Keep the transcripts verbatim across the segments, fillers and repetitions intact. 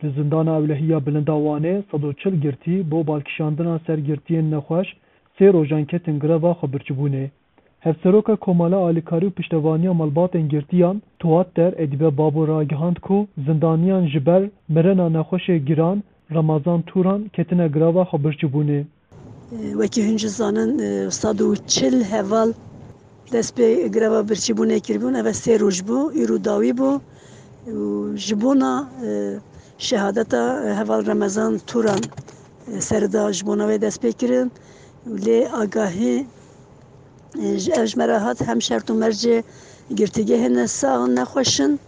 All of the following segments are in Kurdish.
Li Zindana Ewlehî ya Bilind a Wanê sed û çil girtî bo balkişandina ser girtiyên nexweş sê rojan ketin greva xwebirçîbûnê. Hevseroka Komala Alîkarî û Piştevaniya Malbatên Girtiyan Tuwatter Edîbe Babo ragihand ku zindaniyan ji ber mirina nexweşê giran Remezan Turan ketine greva xwebirçîbûnê. Wekî hûn jî zanin, sed û çil heval dest pê greva birçîbûnê kiribûn. Ev sê roj bû, îro dawî bû. Û ji bona, e, şehadeta heval Remezan Turan, e, serida ji bona wê dest pê kirin. Û lê agahî, e, ji, ev ji me re hat, hem şert û mercê girtîgehê ne sax in, nexweş in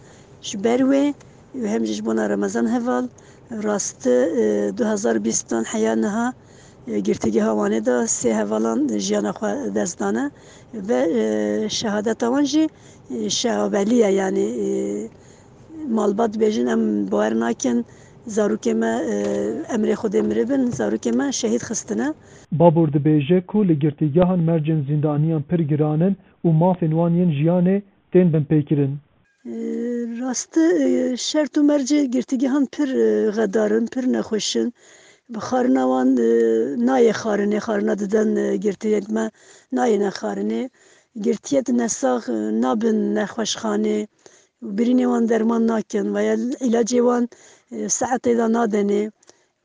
ji ber wê û hem jî ji bona Remezan heval. Rastî, e, du hezar bîstan heya niha, e, Girtîgeha Wanê de sê hevalan jiyana xwe dest dane ve, e, şehadeta wan jî, e, şehawelî ye, yanî, e, malbat dibêjin, em bawer nakin zarokê me, e, emrê Xwedê miribin, zarokê me şehîd xistine. Babur dibêje ku li girtîgehan mercên zîndaniyan pir giran in û mafên wan yên jiyanê tên binpêkirin. Rastî, e, şert û mercê girtîgehan pir, e, xedar in, pir nexweş in. Bi xarina wan, e, nayê xarinê, xarina diden, e, girtiyên me nayêne xarinê. Girtiyê di nesax, e, nabin nexweşxanê û birînê wan derman nakin veya îlacê wan, e, saetê de nadenê.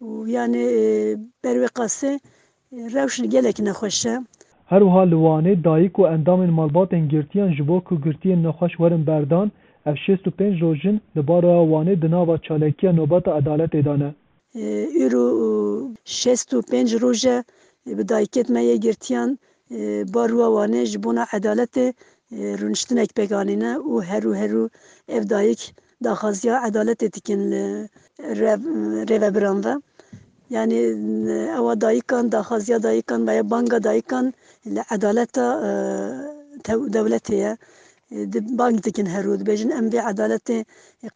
Û yanî, e, ber wê qasê, e, rewş gelek nexweş e. Her wiha li Wanê dayik û endamên malbatên girtiyan ji bo ku girtiyên nexweş werin berdan, ev şêst û pênc roj in li Baroya Wanê di nava çalekiya Nobeta Edaletê de ne. E, îro, e, şêst û pênc roj e, e, bi dayikêt me yê girtiyan, e, Baroya Wanê ji bona edaletê, e, rûniştinek pêk anîne û herû herû ev dayik daxwaziya edaletê dikin li rev-, rêvebiran ve. Yanî, ewa dayikan, daxwaziya dayikan veya banga dayikan li edaleta, e, tew-, dewletê ye. E, di-, bang dikin herû, dibêjin, em vê edaletê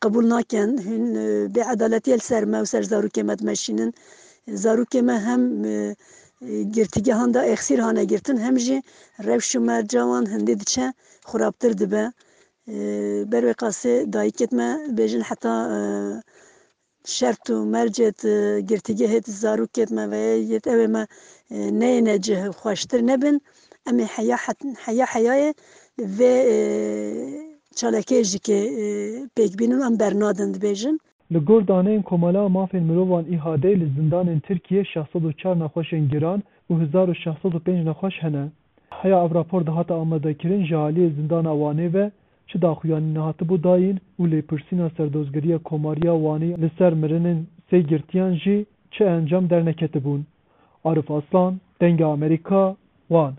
qebûl nakin, hûn, e, bê edaletiyê li ser me û ser zarokê me dimeşînin. Zarokê me hem, e, e, girtîgehan de êxsîr hane girtin, hem jî rewş û merca wan hindê diçe xirabtir dibe. E, ber wê qasê dayikêt me bêjin heta, e, şert û mercêt, e, girtîgehêt zarokêt me veya yêt ewê me, e, neyêne cih xweştir nebin. Em ê heya het-, heya heyayê vê, e, çalakê jî ke, e, pêk bînin em bernadin dibêjin. Li gor daneyên Komela Mafên Mirovan, İHA'dê, li zindanên Tirkiyê şeş sed û çar nexweşên giran û hezar û şeş sed û pênc nexweş hene. Heya ev rapor dihate amadekirin ji aliyê Zindana Wanê ve çi daxuyanî nehatibû dayîn û lêpirsîna Serdozgeriya Komariya Wanê li ser mirinên sê girtiyan jî çi encam derneketibûn. Arif Aslan, Dengê Amerîka, Wan.